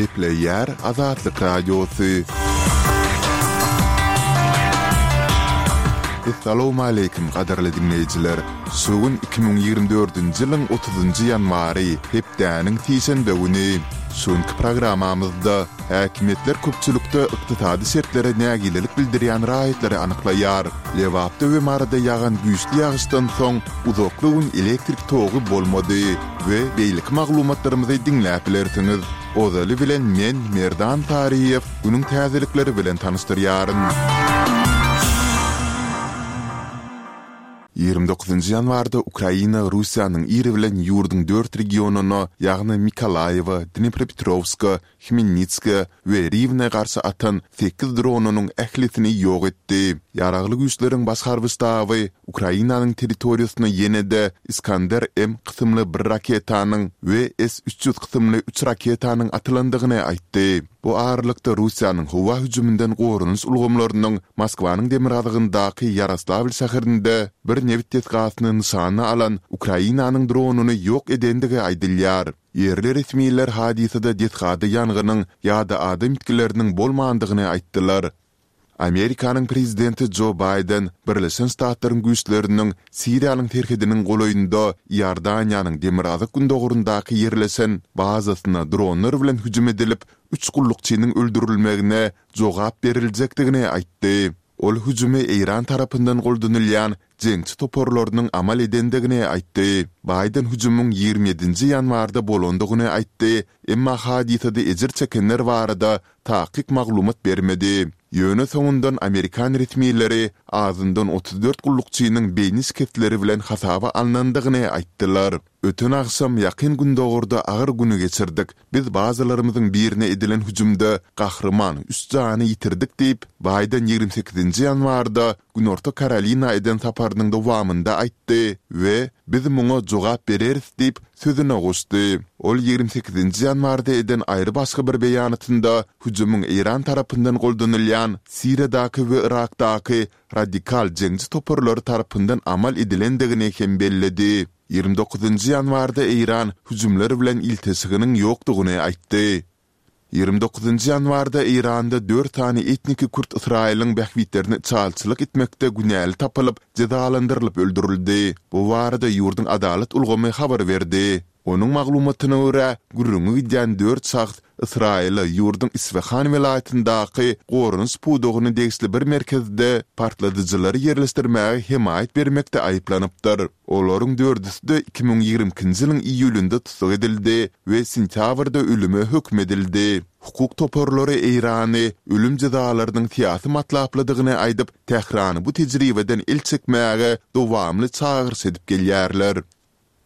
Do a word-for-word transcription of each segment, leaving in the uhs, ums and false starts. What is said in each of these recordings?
Gepleýär Azatlyk Radiosy. Essalawmaleýkim gadyrly diňleýjiler! Şu gün iki müň ýigrimi dördünji ýylyň otuzynjy ýanwary, hepdäniň sişenbe güni. Şu günki programmamyzda häkimiýetler köpçülikde ykdysady şertlere nägilelik bildirýän raýatlary anyklaýar. Lebapda we Maryda ýagan güýçli ýagyşdan soň uzakly gün elektrik togy bolmady we beýleki maglumatlarymyzy diňläp bilersiňiz. Ozaly bilen men, Merdan Taryýew, günüň täzelikleri bilen tanyşdyrýaryn. Ýigrimi dokuzynjy ýanwarda Ukraina Russiýanyň ir bilen ýurduň dört regionyna, ýagny Mykolaýewa, Dnepropetrowska, Hmelnitska we Riwne garşy atan sekiz dronynyň ählisini ýok etdi. Ýaragly Güýçleriň Baş harby ştaby Ukrainanyň territoriýasyna ýene-de Iskander-M kysymly bir raketanyň we S üç ýüz kysymly üç raketanyň atylandygyny aýtdy. Bu aralykda Russiýanyň howa hüjüminden goranyş ulgamlarynyň Moskwanyň demirgazygyndaky Ýaroslawl şäherinde bir nebit desgasyny nyşana alan Ukrainanyň dronyny ýok edendigi aýdylýar. Ýerli resmiler hadysada desgada ýangynyň ýa-da adam ýitgileriniň bolmandygyny aýtdylar. Amerikanyň prezidenti Jo Baýden Birleşen Ştatlaryň güýçleriniň Siriýanyň serhediniň golaýynda Iordaniýanyň demirgazyk-gündogaryndaky ýerleşen bazasyna dronlar bilen hüjüm edilip, üç gullukçynyň öldürilmegine jogap beriljekdigini aýtdy. Ol hüjümi Eýran tarapyndan goldanylýan jeňçi toparlarynyň amal edendigini aýtdy. Baýden hüjümiň ýigrimi ýedinji ýanwarda bolandygyny aýtdy, emma hadysada ejir çekenler barada takyk maglumat bermedi. Ýöne soňundan amerikan resmileri azyndan otuz dört gullukçynyň beýni şikesleri bilen hasaba alnandygyny aýtdylar. Öten agşam Ýakyn Gündogarda agyr güni geçirdik. Biz bazalarymyzyň birine edilen hüjümde gahryman üç jany ýitirdik diýip, Baýden ýigrimi sekizinji ýanwarda Günorta Karolina eden saparynyň dowamynda aýtdy we Biz muňa jogap bereris diýip, sözüne goşdy. Ol ýigrimi sekizinji ýanwarda eden aýry başga bir beýanatynda hüjümiň Eýran tarapyndan goldanylýan Siriýadaky we Yrakdaky radikal jeňçi toparlary tarapyndan amal edilendigini hem belledi. Ýigrimi dokuzynjy ýanwarda Eýran hüjümler bilen ilteşiginiň ýokdugyny aýtdy. Ýigrimi dokuzynjy ýanwarda Eýranda dört sany etniki kürt Ysraýylyň bähbitlerine içalyçylyk etmekde günäli tapylyp, jezalandyrylyp öldürildi. Bu barada ýurduň adalat ulgamy habar berdi. Onuň maglumatyna görä, gürrüňi gidýän dört şahs Ysraýyla ýurduň Isfahan welaýatyndaky goranyş pudagyna degişli bir merkezde partladyjylary ýerleşdirmäge hemaýat bermekde aýyplanypdyr. Olaryň dördüsi-de iki müň ýigrimi ikinji ýylyň iýulynda tussag edildi we sentýabrda ölüme höküm edildi. Hukuk toparlary Eýrany ölüm jezalarynyň syýasy matlaplydygyny aýdyp, Tährany bu tejribeden el çekmäge dowamly çagyryş edip gelýärler.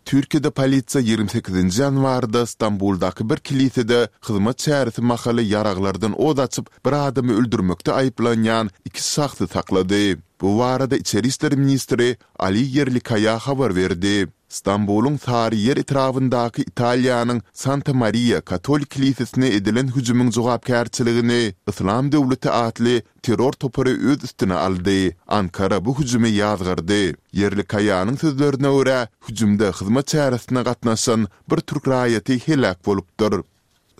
Türkiýede polisiýa ýigrimi sekizinji ýanwarda Stambuldaky bir kilisede hyzmat çäresi mahaly ýaraglardan ot açyp, bir adamy öldürmekde aýyplanýan iki şahsy saklady. Bu barada içeri işler ministri Ali Ýerlikaýa habar berdi. Stambulyň Saryýer etrabyndaky Italiýanyň Santa Mariýa katolik kilisesine edilen hüjümiň jogapkärçiligini Yslam döwleti atly terror topary öz üstüne aldy. Ankara bu hüjümi ýazgardy. Ýerlikaýanyň sözlerine görä, hüjümde hyzmat çäresine gatnaşan bir türk raýaty heläk bolupdyr.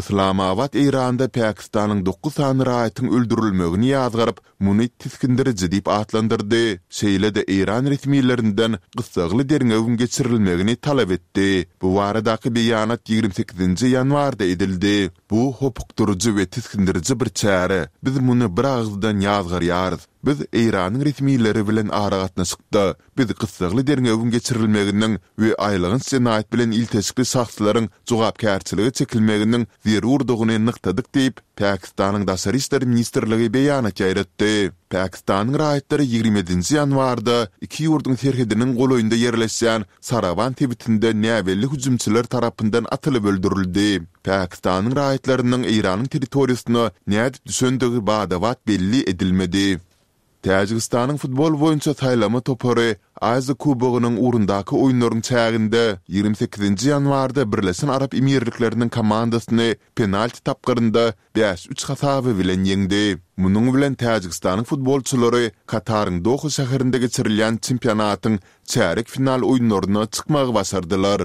Yslamabat Eýranda Pakistanyň dokuz sany raýatyň öldürilmegini ýazgaryp, muny tisgindiriji diýip atlandyrdy, şeýle-de eýran resmilerinden gyssagly derňewiň geçirilmegini talap etdi. Bu baradaky beýanat ýigrimi sekizinji ýanwarda edildi. Bu hopukdyryjy we tisgindiriji bir çäre. Biz muny bir agyzdan ýazgarýarys. Biz Eýranyň resmileri bilen aragatnaşykda. Biz gyssagly derňewiň geçirilmeginiň we aýylganç jenaýat bilen ilteşikli şahslaryň jogapkärçilige çekilmeginiň zerurdygyny nygtadyk diýip, Pakistanyň Daşary işler ministrligi beýanat ýaýratdy. Pakistanyň raýatlary ýigrimi ýedinji ýanwarda iki ýurduň serhediniň golaýynda ýerleşýän Sarawan sebitinde näbelli hüjümçiler tarapyndan atylyp öldürildi. Pakistanyň raýatlarynyň Eýranyň territoriýasyna nädip düşendigi bada-bat belli edilmedi. Täjigistanyň futbol boýunça saýlama topary Aziýa Kubogynyň ugrundaky oýunlaryň çäginde ýigrimi sekizinji ýanwarda Birleşen Arap Emirlikleriniň komandasyny penalti tapgyrynda bäş üç hasaby bilen ýeňdi. Munuň bilen Täjigistanyň futbolçylary Kataryň Doha şäherinde geçirilýän çempionatyň çärýek final oýunlaryna çykmagy başardylar.